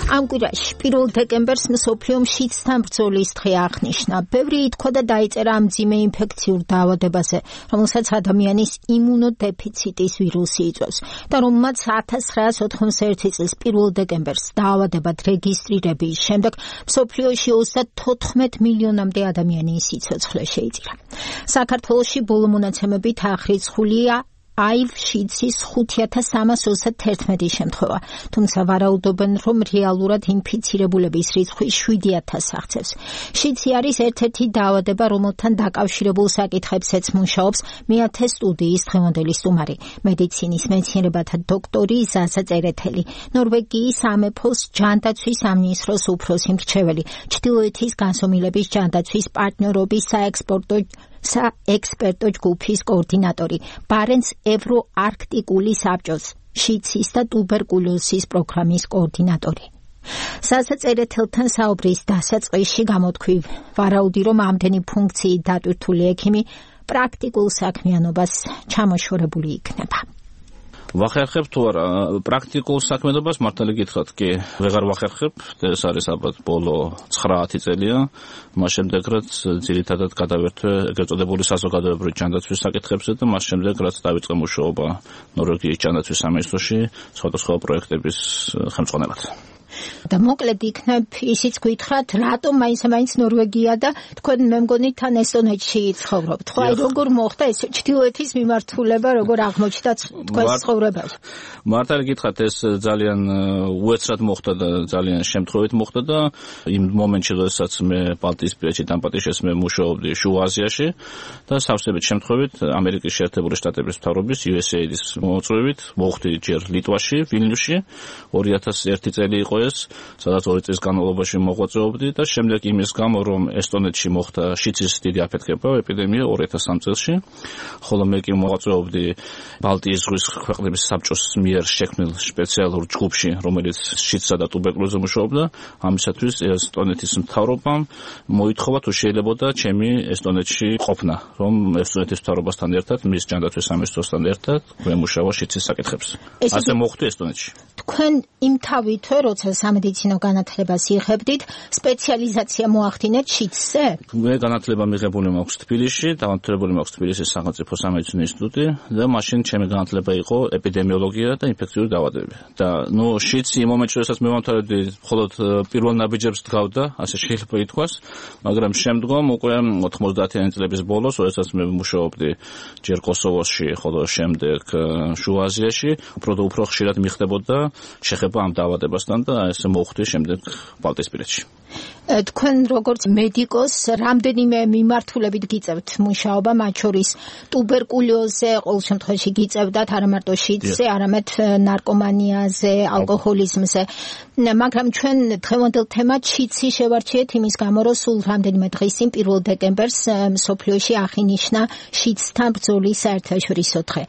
ამ კვირაში 1 დეკემბერს მსოფლიო მშიცთან ბრძოლის დღე აღნიშნა. ბევრი ითქვა და დაიწერა ამ მძიმე ინფექციურ დაავადებაზე, რომელსაც ადამიანის იმუნოდეფიციტის ვირუსი იწვევს და რომელმაც 1991 წლის 1 დეკემბერს დაავადებად რეგისტრირების შემდეგ მსოფლიოში 34 მილიონამდე ადამიანის სიცოცხლე შეიწირა. საქართველოში ბოლო მონაცემებით აღრიცხულია HIV შიცის 5331 შემთხვევა, თუმცა ვარაუდობენ, რომ რეალურად ინფიცირებულების რიცხვი 7000 აღწევს. შიცი არის ერთ-ერთი დაავადება, რომელთან დაკავშირებულ საკითხებზეც მუშაობს მეათე სტუდიის დღევანდელი სტუმარი, მედიცინის მეცნიერებათა დოქტორი ზაზა წერეთელი, ნორვეგიის სამეფოს ჯანდაცვის სამინისტროს უფროსი მრჩეველი, ჩრდილოეთის განსომილების ჯანდაცვის პარტნიორობის საექსპერტო ჯგუფის კოორდინატორი, ბარენცის ევროარქტიკული საბჭოს შიცის და ტუბერკულოზის პროგრამის კოორდინატორი. ზაზა წერეთელთან საუბრის დასაწყისში გამოთქვი ვარაუდი, რომ ამდენი ფუნქციით დატვირთული ექიმი პრაქტიკულ საქმიანობას ჩამოშორებული იქნება. ვახერხებ თუ არა პრაქტიკულ საქმიანობას მართალი გითხრათ კი ვეღარ ვახერხებ, ეს არის ალბათ ბოლო 9-10 წელია, მას შემდეგ რაც ძირითადად გადავერთვე ეგრეთ წოდებული საზოგადოებრივი ჯანდაცვის საკითხებზე და მას შემდეგ რაც დავიწყე მუშაობა ნორვეგიის ჯანდაცვის სამინისტროში სხვადასხვა პროექტების ხელმძღვანელად. და მოკლედ იქნებ ისიც გითხრათ, რატომ მაინც ნორვეგია და თქვენ მე მგონი თან ესტონეთში ცხოვრობთ. ხო, აი როგორ მოხდა ეს ჩრდილოეთის მიმართულება, როგორ აღმოჩნდა თქვენს ცხოვრებაში? მართალი გითხრათ, ეს ძალიან უეცრად მოხდა და ძალიან შემთხვევით მოხდა და იმ მომენტში, როდესაც მე ბალტიისპირეთში დამპატიშეს მე მუშაობდი შუა აზიაში და სავსებით შემთხვევით ამერიკის შეერთებული შტატების მთავრობის USAID-ის მოწვევით მოვხდი ჯერ ლიტვაში, ვილნიუსში 2001 წელი იყო ეს, სადაც 2 წლის განმავლობაში მოღვაწეობდი და შემდეგ იმის გამო, რომ ესტონეთში მოხდა შიცის დიდი აფეთქება, ეპიდემია 2003 წელში, ხოლო მე კი მოღვაწეობდი ბალტიის ზღვის ქვეყნების საბჭოს მიერ შექმნილ სპეციალურ ჯგუფში, რომელიც შიცსა და ტუბერკულოზზე მუშაობდა. ამისათვის ესტონეთის მთავრობამ მოითხოვა თუ შეიძლებოდა ჩემი ესტონეთში ყოფნა, რომ ესტონეთის მთავრობასთან ერთად, მის ჯანდაცვის სამინისტროსთან ერთად ვემუშავა შიცის საკითხებზე. ასე მოხვდი ესტონეთში. თქვენ იმთავითვე, როცა სამედიცინო განათლებას იღებდით, სპეციალიზაცია მოახდინეთ შიცზე? მე განათლება მიღებული მაქვს თბილისში, დამთავრებული მაქვს თბილისის სახელმწიფო სამედიცინო ინსტიტუტი და მაშინ ჩემი განათლება იყო ეპიდემიოლოგია და ინფექციური დაავადებები. და შიცი იმ მომენტში, როდესაც მე ვამთავრებდი, მხოლოდ პირველ ნაბიჯებს დგავდა, ასე შეიძლება ითქვას, მაგრამ შემდგომ უკვე 90-იანი წლების ბოლოს, როდესაც მე მუშაობდი ჯერ კოსოვოში, ხოლო შემდეგ შუა აზიაში, უფრო ხშირად მიხდებოდა შეხება ამ დაავადებასთან და ესე მოხვდი შემდეგ ბალტიისპირეთში. თქვენ როგორც მედიკოს რამდენიმე მიმართულებით გიწევთ მუშაობა, მათ შორის ტუბერკულოზზე, ყოველ შემთხვევაში გიწევდათ არა მარტო შიცზე, არამედ ნარკომანიაზე, ალკოჰოლიზმზე. მაგრამ ჩვენ დღევანდელ თემად შიცი შევარჩიეთ იმის გამო, რომ სულ რამდენიმე დღის წინ 1 დეკემბერს მსოფლიოში აღინიშნა შიცთან ბრძოლის საერთაშორისო დღე.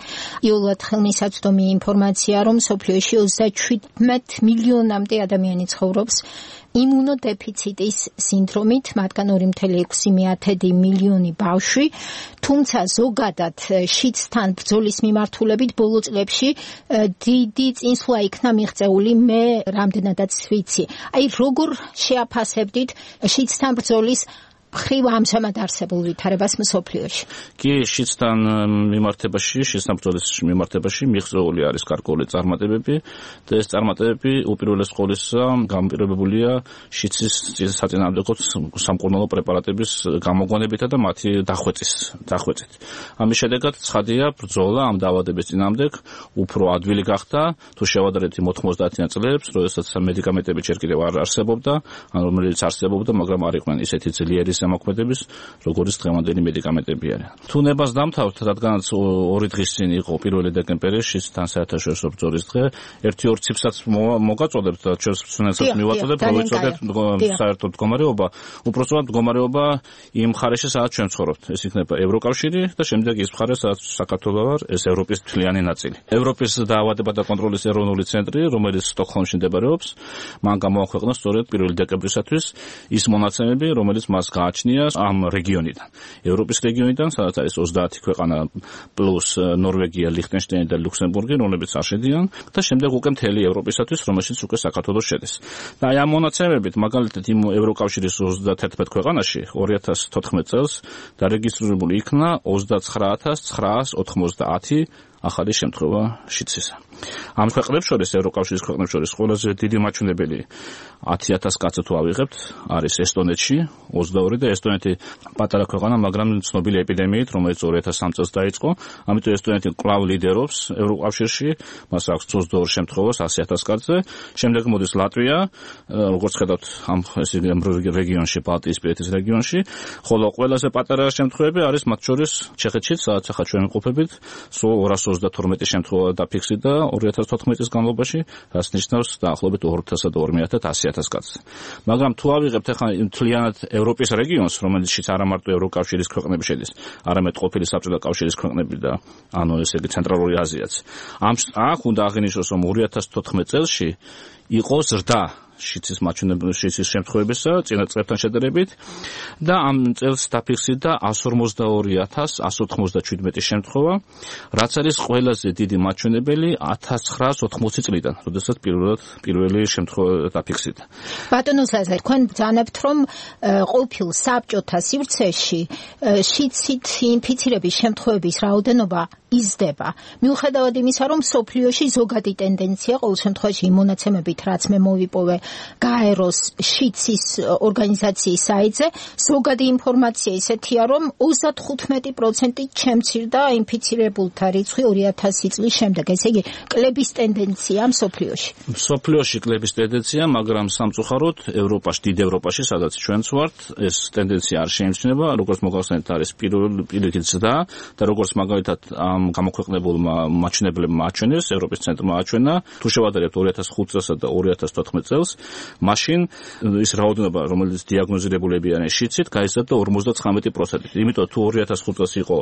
იოლად ხელმისაწვდომი ინფორმაცია, რომ მსოფლიოში 37 მილიონამდე ადამიანი ცხოვრობს იმუნოდეფიციტის სინდრომით, მათგან 2,6 მილიონი ბავშვი, თუმცა ზოგადად შიცთან ბრძოლის მიმართულებით ბოლო წლებში დიდი წინსვლა იქნა მიღწეული, მე რამდენადაც ვიცი. აი როგორ შეაფასებდით შიცთან ბრძოლის მხრივ ამჟამად არსებულ ვითარებას მსოფლიოში? კი, შიცთან ბრძოლის მიმართებაში მიღწეული არის გარკვეული წარმატებები და ეს წარმატებები უპირველეს ყოვლისა გამპირობებულია შიცის საწინააღმდეგო სამკურნალო პრეპარატების გამოგვანებითა და მათი დახვეწით. ამის შედეგად ცხადია, ბრძოლა ამ დაავადების წინააღმდეგ უფრო ადვილი გახდა, თუ შევადარებთ იმ 90-იან წლებს, როდესაც მედიკამენტები ჯერ კიდევ არ არსებობდა, ან რომელიც არსებობდა, მაგრამ არ იყვნენ ისეთი ძლიერი ზემოქმედების, როგორც დღევანდელი მედიკამენტები არიან. თუ ნებას დამთავრთ, რადგანაც 2 დღის წინ იყო 1 დეკემბერი შიცთან საერთაშორისო ბრძოლის დღე, 1-2 ციფრსაც მოგაწოდებთ და ჩვენს მსმენელსაც მივაწოდებთ, რომ ვიცოდეთ საერთო მდგომარეობა, უпростоრად მდგომარეობა იმ მხარეში, სადაც ჩვენ ცხოვრობთ. ეს იქნება ევროკავშირი და შემდეგ ის მხარე, სადაც საქართველო არის, ეს ევროპის მთლიანი ნაწილი. ევროპის დაავადებათა და კონტროლის ეროვნული ცენტრი, რომელიც სტოკჰოლმში მდებარეობს, მან გამოაქვეყნა სწორედ 1 დეკემბრისათვის ის მონაცემები, რომელიც მას გააჩნია ამ რეგიონიდან. ევროპის რეგიონიდან, სადაც არის 30 ქვეყანა პლუს ნორვეგია, ლიხტენშტაინი და ლუქსემბურგი, რომლებიც არ შედიან და შემდეგ უკვე მთელი ევროპისათვის, რომელშიც უკვე საქართველოს შედის. და აი ამ მონაცემებით, მაგალითად იმ ევროკავშირის 31 ქვეყანაში 2014 წელს დარეგისტრირებული იქნა 29990 ახალი შემთხვევა შიდსისა. ამ ქვეყნებს შორის, ევროკავშირის ქვეყნებს შორის ყველაზე დიდი მაჩვენებელი 10000 კაცი თუ ავიღებთ, არის ესტონეთში 22 და ესტონეთი პატარა ქვეყანა, მაგრამ ცნობილი ეპიდემიით, რომელიც 2003 წელს დაიწყო, ამიტომ ესტონეთი კვლავ ლიდერობს ევროკავშირში, მას აქვს 22 შემთხვევა 100000 კაცზე. შემდეგ მოდის ლატვია, როგორც ხედავთ, ამ რეგიონში, ბალტიისპირეთის რეგიონში, ხოლო ყველაზე პატარა შემთხვევები არის მათ შორის ჩეხეთში, სადაც ახლა ჩვენ ვიმყოფებით, სულ 232 შემთხვევა დაფიქსირდა 2014 წლის განმავლობაში, რაც ნიშნავს დაახლოებით 2,200,000 კაცს. მაგრამ თუ ავიღებთ ახლა მთლიანად ევროპის რეგიონს, რომელშიც არა მარტო ევროკავშირის ქვეყნები შედის, არამედ ყოფილი საბჭოთა კავშირის ქვეყნები და ანუ ესე იგი ცენტრალური აზიაც. აქ უნდა აღინიშნოს, რომ 2014 წელსში იყო ზრდა შიდსის შემთხვევებისა წინა წლებთან შედარებით და ამ წელს დაფიქსირდა 142,197 შემთხვევა, რაც არის ყველაზე დიდი მაჩვენებელი 1980 წლიდან, როდესაც პირველი შემთხვევა დაფიქსირდა. ბატონო ზაზა, თქვენ ბრძანებთ, რომ ყოფილ საბჭოთა სივრცეში შიდსით ინფიცირების შემთხვევების რაოდენობა იზრდება. მიუხედავად იმისა, რომ მსოფლიოში ზოგადი ტენდენცია, ყოველ შემთხვევაში იმ მონაცემებით, რაც მე მოვიპოვე გაეროს შიდსის ორგანიზაციის საიტზე, ზოგადი ინფორმაცია ისეთია, რომ 35% შემცირდა ინფიცირებულთა რიცხვი 2000 წლის შემდეგ. ესე იგი, კლების ტენდენცია მსოფლიოში. მსოფლიოში კლების ტენდენცია, მაგრამ სამწუხაროდ ევროპაში, დიდ ევროპაში, სადაც ჩვენც ვართ, ეს ტენდენცია არ შეიმჩნევა, როგორც მოგახსენეთ, არის პირიქით ზრდა და როგორც მაგალითად ამ გამოქვეყნებულმა მაჩვენებლებმა აჩვენეს, ევროპის ცენტრმა აჩვენა, თუ შევადარებთ 2005 წელსა და 2014 წელს, მაშინ ის რაოდენობა, რომელიც დიაგნოზირებულები არიან შიდსით, გაიზარდა 59%. იმიტომ თუ 2005 წელს იყო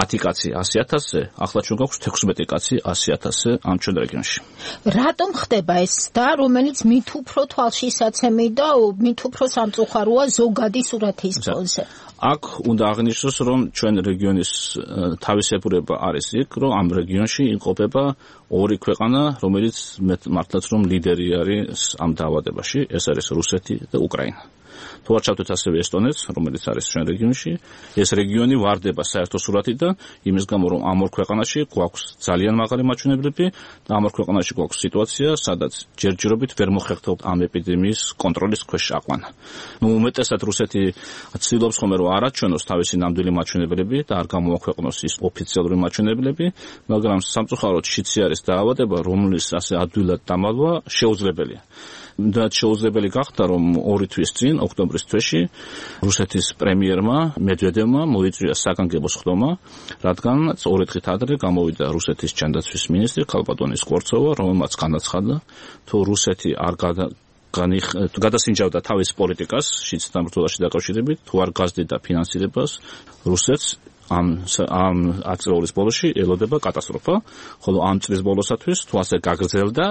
10 კაცი 100,000-ზე, ახლა ჩვენ გვაქვს 16 კაცი 100,000-ზე ამ ჩვენ რეგიონში. რატომ ხდება ეს და რომელიც მით უფრო თვალშისაცემი და მით უფრო სამწუხაროა ზოგადი სურათის ფონზე? აქ უნდა აღნიშნოს, რომ ჩვენ რეგიონის თავისებურება არის იქ, რომ ამ რეგიონში იმყოფება ორი ქვეყანა, რომელიც მართლაც რომ ლიდერი არის ამ დაავადებაში, ეს არის რუსეთი და უკრაინა. თუ არ ჩავთვით ასევე ესტონეთს, რომელიც არის ჩვენ რეგიონში, ეს რეგიონი ვარდება საერთო სურათიდან, იმის გამო, რომ ამ ორ ქვეყანაში გვაქვს ძალიან მაღალი მაჩვენებლები და ამ ორ ქვეყანაში გვაქვს სიტუაცია, სადაც ჯერჯერობით ვერ მოხერხდებთ ამ ეპიდემიის კონტროლის ქვეშ აყვანა. უმეტესად რუსეთი ცდილობს ხოლმე, რომ არ აჩვენოს თავისი ნამდვილი მაჩვენებლები და არ გამოაქვეყნოს ის ოფიციალური მაჩვენებლები, მაგრამ სამწუხაროდ შიდსი არის დაავადება, რომლის ასე ადვილად დამალვა შეუძლებელია. და შეუძლებელი გახდა, რომ 2 თვის წინ, ოქტომბრის თვეში, რუსეთის პრემიერმა მედვედევმა მოიწვია საგანგებო სხდომა, რადგან 2 დღით ადრე გამოვიდა რუსეთის ჯანდაცვის მინისტრი ქალბატონი სკორცოვა, რომელმაც განაცხადა, თუ რუსეთი არ გადასინჯავდა თავის პოლიტიკას შიდსთან ბრძოლაში დაკავშირებით, თუ არ გაზრდიდა ფინანსირებას, რუსეთს ამ ათწლეულის ბოლოში ელოდება კატასტროფა, ხოლო ამ წლის ბოლოსათვის თუ ასე გაგრძელდა,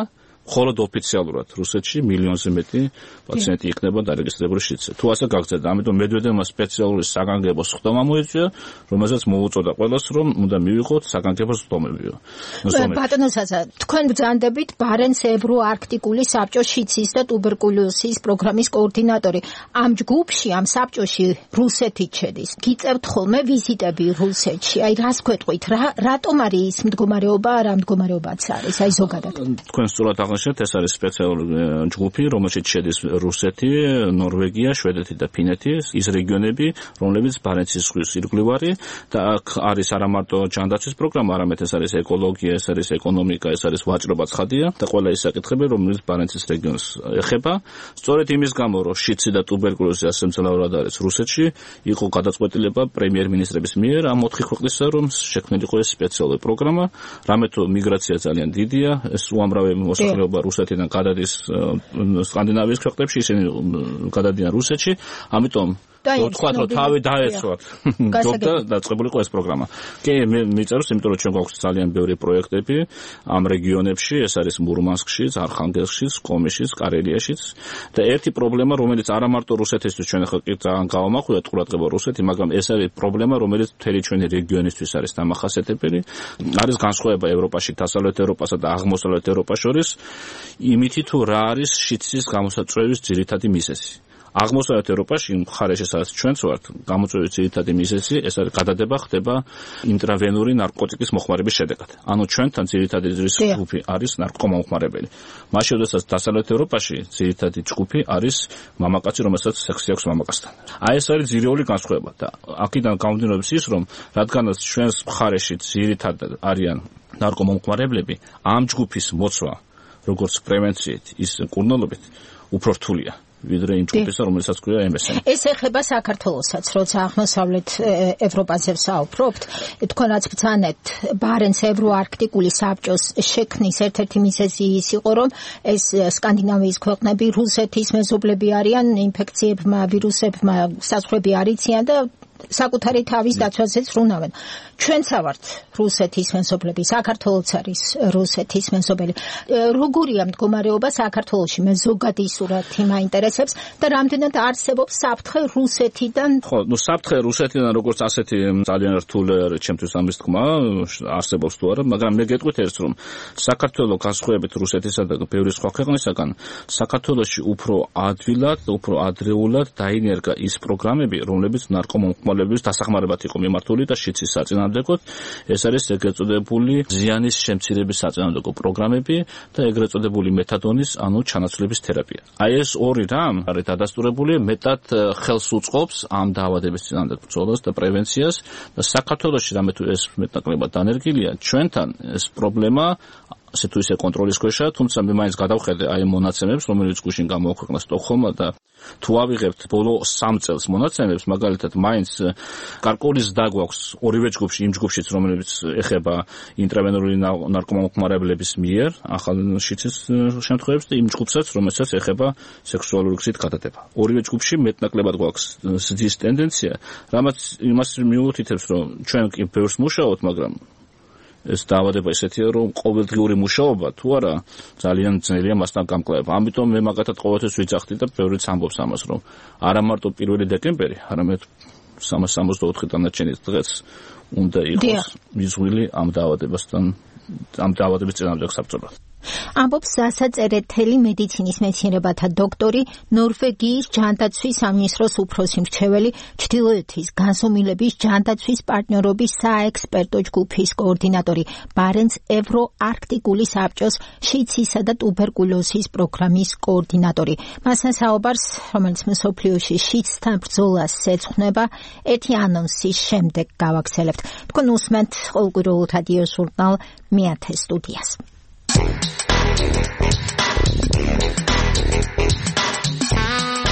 მხოლოდ ოფიციალურად რუსეთში მილიონზე მეტი პაციენტი იქნება დარეგისტრირებული შიდსზე. თუ ასე გაგრძელდა, ამიტომ მედვედევმა სპეციალური საგანგებო სხდომა მოიწვია, რომელზეც მოუწოდა ყველას, რომ უნდა მივიღოთ საგანგებო სხდომები. ბატონო ზაზა, თქვენ ბრძანდებით ბარენც ევროარქტიკული საბჭოს შიდსის და ტუბერკულოზის პროგრამის კოორდინატორი. ამ ჯგუფში, ამ საბჭოში რუსეთიც შედის. გიწევთ ხოლმე ვიზიტები რუსეთში. აი რას გვეტყვით, რატომ არის ის მდგომარეობა, რა მდგომარეობაც არის, აი ზოგადად. თქვენ სწორად ეს არის სპეციალური ჯგუფი, რომელშიც შედის რუსეთი, ნორვეგია, შვედეთი და ფინეთი, ის რეგიონები, რომლებიც ბარენცის ზღვის ირგვლივ და აქ არის არა მარტო ჯანდაცვის პროგრამა, არამედ ეს არის ეკოლოგია, ეს არის ეკონომიკა, ეს არის ვაჭრობა ცხადია და ყველა ის საკითხები, რომელიც ბარენცის რეგიონს ეხება. სწორედ იმის გამო, რომ შიდსი და ტუბერკულოზი ასე მძლავრად არის რუსეთში, იყო გადაწყვეტილება პრემიერ-მინისტრების მიერ ამ 4 ქვეყნისა, რომ შექმნილიყო ეს სპეციალური პროგრამა, რამე თუ მიგრაცია ძალიან დიდია, ეს უამრავი მოსახლეობა რუსეთიდან გადადის სკანდინავიის ქვეყნებში, ისინი გადადიან რუსეთში, ამიტომ თქვა რომ თავი დაეცვათ ჯობდა დაწყებულიყო ეს პროგრამა. კი, მე მიწეროს, იმიტომ რომ ჩვენ გვაქვს ძალიან ბევრი პროექტები ამ რეგიონებში, ეს არის მურმანსკშიც, არხანგელსკშიც, კომიშიც, კარელიაში და ერთი პრობლემა, რომელიც არა მარტო რუსეთისთვის ჩვენ ახლა კი ძალიან გავამახვილეთ ყურადღება რუსეთი, მაგრამ ეს არის პრობლემა, რომელიც მთელი ჩვენი რეგიონისთვის არის დამახასიათებელი. არის განსხვავება ევროპაში, დასავლეთ ევროპასა და აღმოსავლეთ ევროპას შორის, იმითი თუ რა არის შიდსის გამოსაწვევის ძირითადი მიზეზი. აღმოსავლეთ ევროპაში მხარეში სადაც ჩვენც ვართ, გამოწვევის ძირითადი მიზეზი ეს არის გადადება ხდება ინტრავენური ნარკოტიკის მოხმარების შედეგად. ანუ ჩვენთან ძირითადი ჯგუფი არის ნარკომომხმარებელი. მაშინ როდესაც დასავლეთ ევროპაში ძირითადი ჯგუფი არის მამაკაცი, რომელსაც სექსი აქვს მამაკაცთან. აი ეს არის ძირეული განსხვავება და აქედან გამომდინარეობს ის, რომ რადგანაც ჩვენს მხარეში ძირითადად არიან ნარკომომხმარებლები, ამ ჯგუფის მოცვა როგორც პრევენციით, ის კურნალობით უფრო რთულია. ვიდრე იმ ჯგუფისა, რომელსაც ქვია MSM. ეს ეხება საქართველოსაც, როცა აღმოსავლეთ ევროპაზე ვსაუბრობთ, თქვენ რაც ბრძანეთ ბარენც ევროარქტიკული საბჭოს შექმნის ერთ-ერთი მიზეზი ის იყო, რომ ეს სკანდინავიის ქვეყნები რუსეთის მეზობლები არიან, ინფექციებმა, ვირუსებმა საზღვრები არ იციან და საკუთარი თავის დაცვაზეც ვრუნავენ. ჩვენც ვართ რუსეთის მეზობლები, საქართველოც არის რუსეთის მეზობელი. როგორია მდგომარეობა საქართველოში? მე ზოგადი სურათი მაინტერესებს და რამდენად არსებობს საფრთხე რუსეთიდან? ხო, საფრთხე რუსეთიდან როგორც ასეთი ძალიან რთული არის ჩემთვის ამის თქმა, არსებობს თუ არა, მაგრამ მე გეტყვით ერთს, რომ საქართველოს განსხვავებით რუსეთისა და ბევრი სხვა ქვეყნისაგან, საქართველოში უფრო ადვილად, უფრო ადრეულად დაინერგა ის პროგრამები, რომლებიც ნარკომომხმარებლების დასახმარებლად იყო მიმართული და შიდსის საწინააღმდეგოდ. ეს არის ეგრეთ წოდებული ზიანის შემცირების საწინააღმდეგო პროგრამები და ეგრეთ წოდებული მეთადონის, ანუ ჩანაცვლების თერაპია. აი ეს ორი რამ არის დადასტურებული, მეტად ხელს უწყობს ამ დაავადების წინააღმდეგ ბრძოლას და პრევენციას და საქართველოში რამე თუ ეს მეტნაკლებად დანერგილია, ჩვენთან ეს პრობლემა ასე თუ ისე კონტროლის ქვეშა, თუმცა მე მაინც გადავხედე აი მონაცემებს, რომელიც გუშინ გამოაქვეყნა სტოკჰოლმმა და თუ ავიღებთ ბოლო 3 წელს მონაცემებს, მაგალითად მაინც კარკოლის დაგვაქვს ორივე ჯგუფში, იმ ჯგუფშიც, რომელიც ეხება ინტრავენური ნარკომომხმარებლების მიერ ახალ შიდსის შემთხვევებს და იმ ჯგუფსაც, რომელსაც ეხება სექსუალური გზით გადადება. ორივე ჯგუფში მეტნაკლებად გვაქვს ზრდის ტენდენცია, რამაც იმას მიუთითებს, რომ ჩვენ კი ბევრს მუშაობთ, მაგრამ ეს დაავადება ესეთია, რომ ყოველდღიური მუშაობა თუ არა ძალიან ძნელია მასთან გამკლავება. ამიტომ მე მაგათად ყოველთვის ვიძახდი და ბევრიც ამბობს ამას, რომ არა მარტო 1 დეკემბერი, არამედ 364 დანარჩენი დღეც უნდა იყოს მიზღვილი ამ დაავადებასთან, ამ დაავადების წინააღმდეგ საბრძოლოდ. ამბობს სასაწერეთელი მედიცინის მეცნიერებათა დოქტორი, ნორვეგიის ჯანდაცვის სამინისტროს უფროსი მრჩეველი, ჩრდილოეთის განზომილების ჯანდაცვის პარტნიორობის საექსპერტო ჯგუფის კოორდინატორი, ბარენც ევროარქტიკული საბჭოს შიდსისა და ტუბერკულოზის პროგრამის კოორდინატორი. მასთან საუბარს, რომელიც მსოფლიოში შიდსთან ბრძოლას ეძღვნება, ერთი ანონსის შემდეგ გავაგრძელებთ. თქვენ უსმენთ ყოველკვირეულ რადიო ჟურნალ მეათე სტუდიას.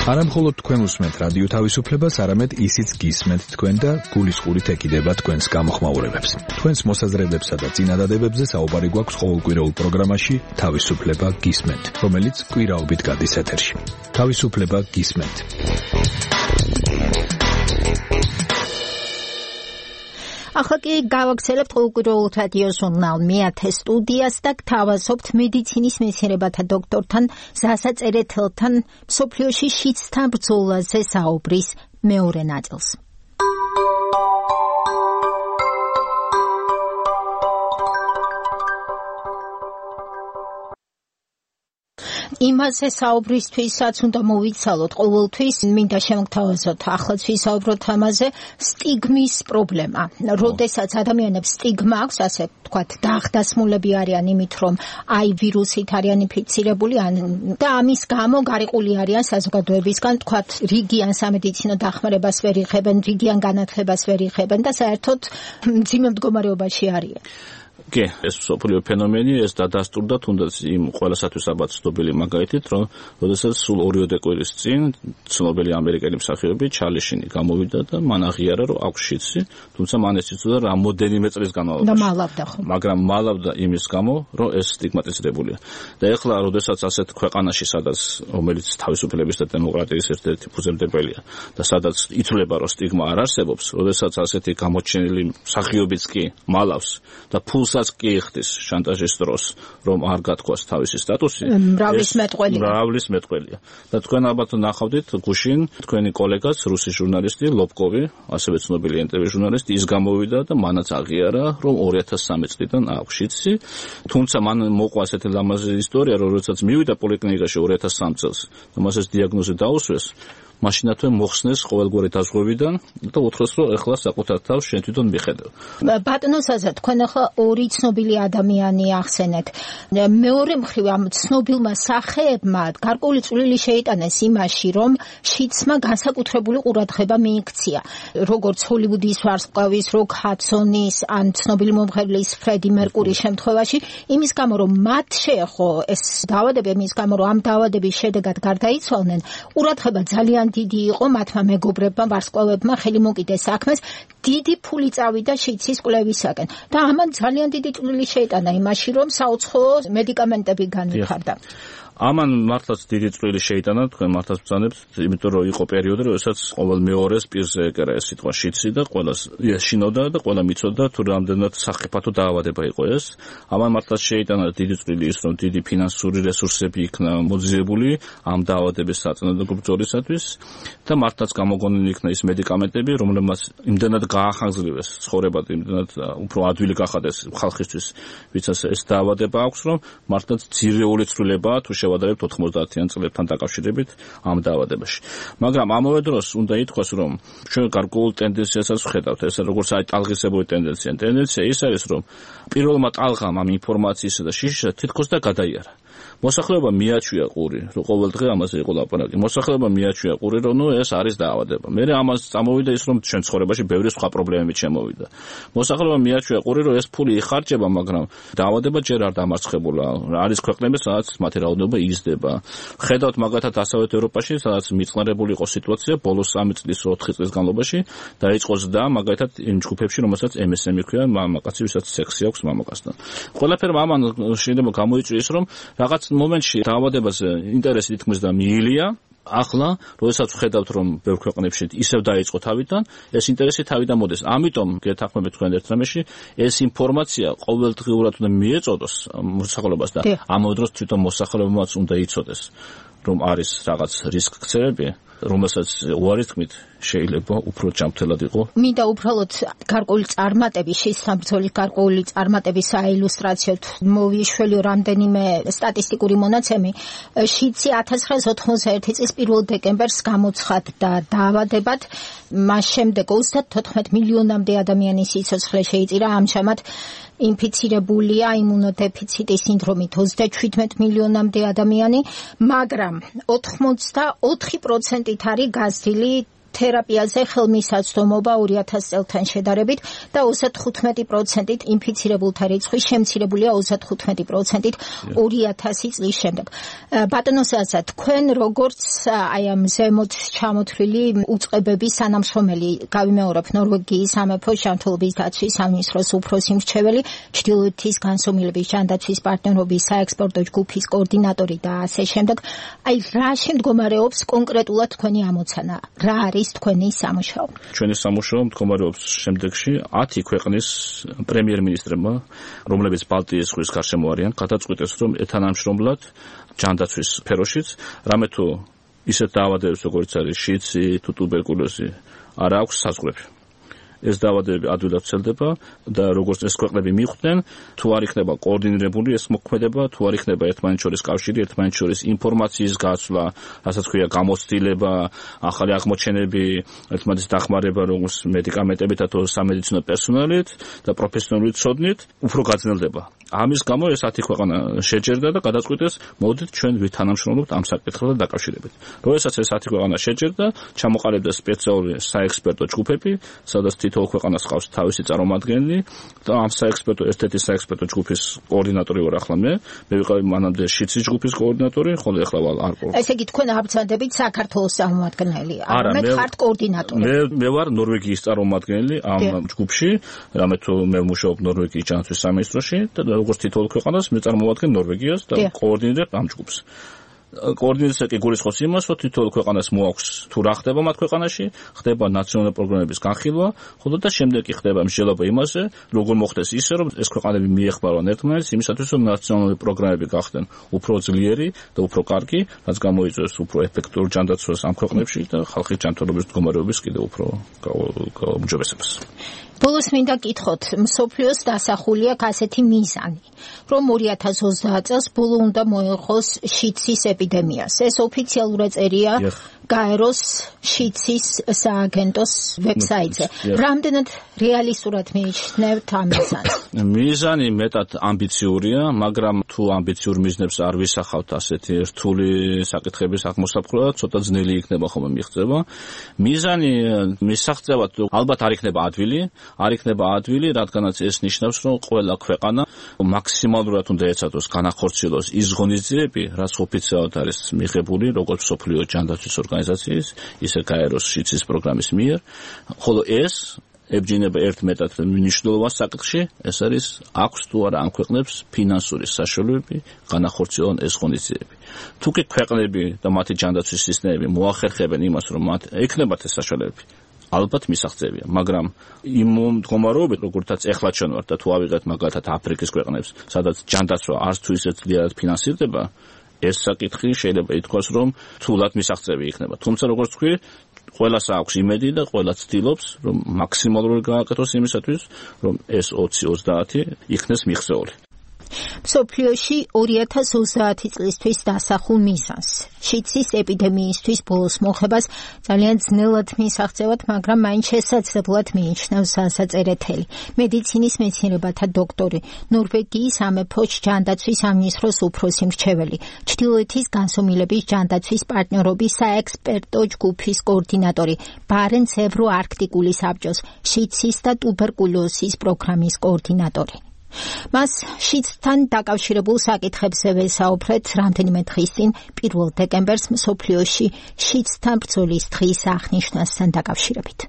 არა მხოლოდ თქვენ უსმენთ რადიო თავისუფლებას, არამედ ისიც გისმენთ თქვენ და გულისყურით ეკიდება თქვენს გამოხმაურებებს. თქვენს მოსაზრებებსა და წინადადებებზე საუბარი გვაქვს ყოველკვირეულ პროგრამაში თავისუფლება გისმენთ, რომელიც კვირაობით გადის ეთერში. თავისუფლება გისმენთ. ახლა კი გავაგრძელებთ ყოველკვირეულ რადიო ჟურნალ მეათე სტუდიას და გთავაზობთ მედიცინის მეცნიერებათა დოქტორთან სასაწერეთელთან მსოფლიოში შიდსთან ბრძოლაზე საუბრის მეორე ნაწილს. იმაზე საუბრისთვისაც უნდა მოვიცალოთ ყოველთვის, მინდა შემოგთავაზოთ ახლაც ვისაუბროთ ამაზე, სტიგმის პრობლემა. როდესაც ადამიანებს სტიგმა აქვს, ასე ვთქვათ, დაახდასმულები არიან იმით, რომ აი ვირუსით არიან ინფიცირებული და ამის გამო გარიყული არიან საზოგადოებისგან, ვთქვათ, რიგიან სამედიცინო დახმარებას ვერ იღებენ, რიგიან განათლებას ვერ იღებენ და საერთოდ მძიმე მდგომარეობაში არიან. კი, ეს მსოფლიო ფენომენი, ეს დადასტურდა თუნდაც იმ ყველასათვის ალბათ ცნობილი მაგალითით, რომ როდესაც სულ 2 კვირის წინ ცნობილი ამერიკელი მსახიობი ჩარლი შინი გამოვიდა და მან აღიარა, რომ აქვს შიდსი, თუმცა მან ეს იცოდა რამდენიმე წლის განმავლობაში. მაგრამ მალავდა იმის გამო, რომ ეს სტიგმატიზირებულია. და ეხლა, როდესაც ასეთ ქვეყანაში, სადაც რომელიც თავისუფლების და დემოკრატიის ერთ-ერთი ფუძემდებელია და სადაც ითვლება, რომ სტიგმა არ არსებობს, როდესაც ასეთი გამოჩენილი მსახიობიც კი მალავს და ფულსაც კი იხდის შანტაჟის დროს, რომ არ გათქვას თავისი სტატუსი, მრავლის მეტყველია. და თქვენ ალბათ ნახავდით გუშინ თქვენი კოლეგაც, რუსი ჟურნალისტი ლობკოვი, ასევე ცნობილი NTV ჟურნალისტი, ის გამოვიდა და მანაც აღიარა, რომ 2013 წლიდან აქვს შიდსი, თუმცა მან მოყვა ასეთი ლამაზი ისტორია, რომ როდესაც მივიდა პოლიკლინიკაში 2003 წელს და მას ეს დიაგნოზი დაუსვეს, მაშინათვე მოხსნეს ყოველგვარი დაზღვევიდან და უთხრეს, რომ ეხლა საკუთარ თავს შენ თვითონ მიხედავ. ბატონო საზა, თქვენ ახლა 2 ცნობილი ადამიანი ახსენეთ. მეორე მხრივ ამ ცნობილმა სახეებმა გარკვეული წვლილი შეიტანეს იმაში, რომ შიდსმა განსაკუთრებული ყურადღება მიიქცია. როგორც ჰოლივუდის ვარსკვლავის, როკ ჰადსონის, ან ცნობილი მომღერლის ფრედი მერკურის შემთხვევაში, იმის გამო, რომ მათ შეეხო ეს დაავადება, იმის გამო, რომ ამ დაავადების შედეგად გარდაიცვალნენ, ყურადღება ძალიან დიდი იყო მათმა მეგობრებმა, ვარსკვლავებმა, ხელი მოკიდეს საქმეს, დიდი ფული წავიდა შიდსის კვლევისაკენ. და ამან ძალიან დიდი წვლილი შეიტანა იმაში, რომ საუცხოო მედიკამენტები განვითარდა. ამან მართლაც დიდი წვლილი შეიტანა, თქვენ მართლაც ბრძანებთ, იმიტომ რომ იყო პერიოდი, როდესაც ყოველ მეორეს პირზე ეკერა ეს სიტყვა შიდსი და ყველას ეშინოდა და ყველა მიცოდა თუ რამდენად სახიფათო დაავადება იყო ეს. ამან მართლაც შეიტანა დიდი წვლილი ის, რომ დიდი ფინანსური რესურსები იქნა მოძიებული ამ დაავადების საწინააღმდეგო ბრძოლისათვის და მართლაც გამოგონილი იქნა ის მედიკამენტები, რომლებმაც იმდენად გაახანგრძლივეს ცხოვრება, იმდენად უფრო ადვილი გახადეს ხალხისთვის, ვისაც ეს დაავადება აქვს, რომ მართლაც ძირეული ცვლილებაა თუ შევადარებთ 90-იან წლებთან დაკავშირებით ამ დაავადებაში. მაგრამ ამავე დროს უნდა ითქვას, რომ ჩვენ გარკვეულ ტენდენციასაც ვხედავთ, ეს როგორც ტალღისებური ტენდენცია. ტენდენცია ის არის, რომ პირველმა ტალღამ ამ ინფორმაციისა და შიშისა თითქოს და გადაიარა. მოსახლეობა მიაჩვია ყური, რომ ყოველდღე ამაზე იყო ლაპარაკი. მოსახლეობა მიაჩვია ყური, რომ ეს არის დაავადება. მერე ამას წამოვიდა ის, რომ ჩვენ ცხოვრებაში ბევრი სხვა პრობლემები შემოვიდა. მოსახლეობა მიაჩვია ყური, რომ ეს ფული იხარჯება, მაგრამ დაავადება ჯერ არ დამარცხებულა. არის ქვეყნები, სადაც მათი რაოდენობა იზრდება. ხედავთ მაგალითად დასავლეთ ევროპაში, სადაც მიწყნარებული იყო სიტუაცია, ბოლოს 3 წლის 4 წლის განმავლობაში დაიწყო ზრდა, მაგალითად იმ ჯგუფებში, რომელსაც MSM ქვია, მამაკაცი, ვისაც სექსი აქვს მამაკაცთან. ყველაფერმა ამან შეიძლება გამოიწვიეს, რომ რაღაც მომენტში დაავადებაზე ინტერესი თითქმის და მიილია. ახლა, როდესაც ვხედავთ, რომ ბევრ ქვეყნებში ისევ დაიწყო თავიდან, ეს ინტერესი თავიდან მოდის. ამიტომ გეთანხმებით თქვენ ერთ რამეში, ეს ინფორმაცია ყოველდღიურად უნდა მიეწოდოს მოსახლეობას და ამავე დროს თვითონ მოსახლეობაც უნდა იცოდეს, რომ არის რაღაც რისკ-ქცევები, რომელსაც უარი თქმით შეიძლება უფრო ჯანმრთელად იყო. მინდა უბრალოდ გარკვეული წარმატების, შესაბრძოლის გარკვეული წარმატების საილუსტრაციოდ მოვიშველი რამდენიმე სტატისტიკური მონაცემი. შიდსი 1991 წლის 1 დეკემბერს გამოცხადდა დაავადებად, მას შემდეგ 34 მილიონამდე ადამიანის სიცოცხლე შეიწირა, ამჟამად ინფიცირებულია იმუნოდეფიციტის სინდრომით 37 მილიონამდე ადამიანი, მაგრამ 84%-ით არის გაზრდილი თერაპიაზე ხელმისაწვდომობა 2000 წელთან შედარებით და 35%-ით ინფიცირებულთა რიცხვი შემცირებულია 35%-ით 2000 წლის შემდეგ. ბატონო საზა, თქვენ როგორც აი ამ ზემოთ ჩამოთვლილი უწყებების თანამშრომელი, გავიმეორებ ნორვეგიის სამეფო ჯანმრთელობის დაცვის სამინისტროს უფროსი მრჩეველი, ჩრდილოეთის განსომილების ჯანდაცვის პარტნიორობის საექსპორტო ჯგუფის კოორდინატორი და ასე შემდეგ. აი რა შემდგომარეობს კონკრეტულად თქვენი ამოცანა? რა არის თქვენი სამუშაო? ჩვენი სამუშაო მდგომარეობს შემდეგში 10 ქვეყნის პრემიერ-მინისტრებმა, რომლებიც ბალტიის ზღვის გარშემო არიან, გადაწყვიტეს, რომ ეთანამშრომლად ჯანდაცვის სფეროშიც, რამე თუ ისეთ დაავადებებს, როგორც არის შიდსი თუ ტუბერკულოზი, არ აქვს საზღვრები. ეს დაავადებები ადვილად ვრცელდება და როგორც ეს ქვეყნები მიხვდნენ, თუ არ იქნება კოორდინირებული ეს მოქმედება, თუ არ იქნება ერთმანეთს შორის კავშირი, ერთმანეთს შორის ინფორმაციის გაცვლა, რასაც ქვია გამოცდილება, ახალი აღმოჩენები, ერთმანეთის დახმარება როგორც მედიკამენტებით, თუ სამედიცინო პერსონალით და პროფესიონალური ცოდნით, უფრო გაძნელდება ამის გამო ეს 10 ქვეყანა შეჯერდა და გადაწყვიტეს, მოდით ჩვენ ვითანამშრომლობთ ამ საკითხთან დაკავშირებით. როდესაც ეს 10 ქვეყანა შეჯერდა, ჩამოყალიბდა სპეციალური საექსპერტო ჯგუფები, სადაც თითოეულ ქვეყანას ყავს თავისი წარმომადგენელი და ამ საექსპერტო ერთ-ერთი საექსპერტო ჯგუფის კოორდინატორი ვარ ახლა მე ვიყავი მანამდე შიცის ჯგუფის კოორდინატორი, ხოლო ახლა არ ყო. ესე იგი თქვენ აბრძანდებით საქართველოს წარმომადგენელი, მე ხართ კოორდინატორი. მე ვარ ნორვეგიის წარმომადგენელი ამ ჯგუფში, რამე თუ მე ვმუშაობ ნორვეგიის ჯანდაცვის სამინისტროში და როგორც თითოეულ ქვეყანას მე წარმოვადგენ ნორვეგიას და კოორდინირებ ამ ჯგუფს. კოორდინაცია კი გულისხმობს იმას, რომ თითოეულ ქვეყანას მოაქვს თუ რა ხდება მათ ქვეყანაში, ხდება ნაციონალური პროგრამების განხილვა, ხოლო და შემდეგ კი ხდება მსჯელობა იმაზე, როგორ მოხდეს ისე, რომ ეს ქვეყანები მიეხმარონ ერთმანეთს იმისათვის, რომ ნაციონალური პროგრამები გახდნენ უფრო ძლიერი და უფრო კარგი, რაც გამოიწვევს უფრო ეფექტურ ჯანდაცვას ამ ქვეყნებში და ხალხის ჯანმრთელობის მდგომარეობის კიდევ უფრო გაუმჯობესებას. ბოლოს მინდა გითხოთ, მსოფლიოს დასახულია ასეთი მიზანი, რომ 2030 წელს ბოლო უნდა მოეღოს შიცის ეპიდემიას. ეს ოფიციალურად წერია გაეროს შიცის სააგენტოს ვებსაიტზე. რამდენად რეალისტურად მიიჩნევთ ამ მიზანს? მიზანი მეტად ამბიციურია, მაგრამ თუ ამბიციურ მიზნებს არ ვისახავთ ასეთი რთული საკითხების აღმოსაფხვრა, ცოტა ძნელი იქნება ხოლმე მიღწევა. მიზანი მისაღწევად ალბათ არ იქნება ადვილი, რადგანაც ეს ნიშნავს, რომ ყველა ქვეყანა მაქსიმალურად უნდა ეცადოს განახორციელოს ის ღონისძიებები, რაც ოფიციალურად არის მიღებული, როგორც მსოფლიო ჯანდაცვის ორგანიზაციის, ისე გაეროს შიცის პროგრამის მიერ, ხოლო ეს ებჯინება ერთ მეტად მნიშვნელოვან საკითხში, ეს არის აქვს თუ არა ამ ქვეყნებს ფინანსური საშუალებები განახორციელონ ეს ღონისძიებები. თუ კი ქვეყნები და მათი ჯანდაცვის სისტემები მოახერხებენ იმას, რომ მათ ექნებათ ეს საშუალებები, ალბათ მისაღწევია, მაგრამ იმ მდგომარეობით, როგორთაც ეხლა ჩვენ ვართ და თუ ავიღეთ მაგალითად აფრიკის ქვეყნებს, სადაც ჯანდაცვა არც თუ ისე ძლიერად ფინანსირდება, ეს საკითხი შეიძლება ითქვას, რომ თულად მისაღწევი იქნება. თუმცა როგორც თქვი, ყველას აქვს იმედი და ყველა ცდილობს, რომ მაქსიმალურად გააკეთოს იმისათვის, რომ ეს 20-30 იქნეს მიღწეული. მსოფლიოში 2030 წლისთვის დასახულ მიზანს. შიცის ეპიდემიისთვის ბოლოს მოხებას ძალიან ძნელად მისაღწევად, მაგრამ მაინც შესაძლებლად მიიჩნევს საზაწერეთელი. მედიცინის მეცნიერებათა დოქტორი, ნორვეგიის სამეფო ჯანდაცვის სამინისტროს უფროსი მრჩეველი, ჩრდილოეთის განსომილების ჯანდაცვის პარტნიორობის საექსპერტო ჯგუფის კოორდინატორი, ბარენც ევროარქტიკული საბჭოს შიცის და ტუბერკულოზის პროგრამის კოორდინატორი. მას შიცთან დაკავშირებულ საკითხებზე ვესაუბრეთ რამდენიმე დღის წინ 1 დეკემბერს მსოფლიოში შიცთან ბრძოლის დღის აღნიშვნასთან დაკავშირებით.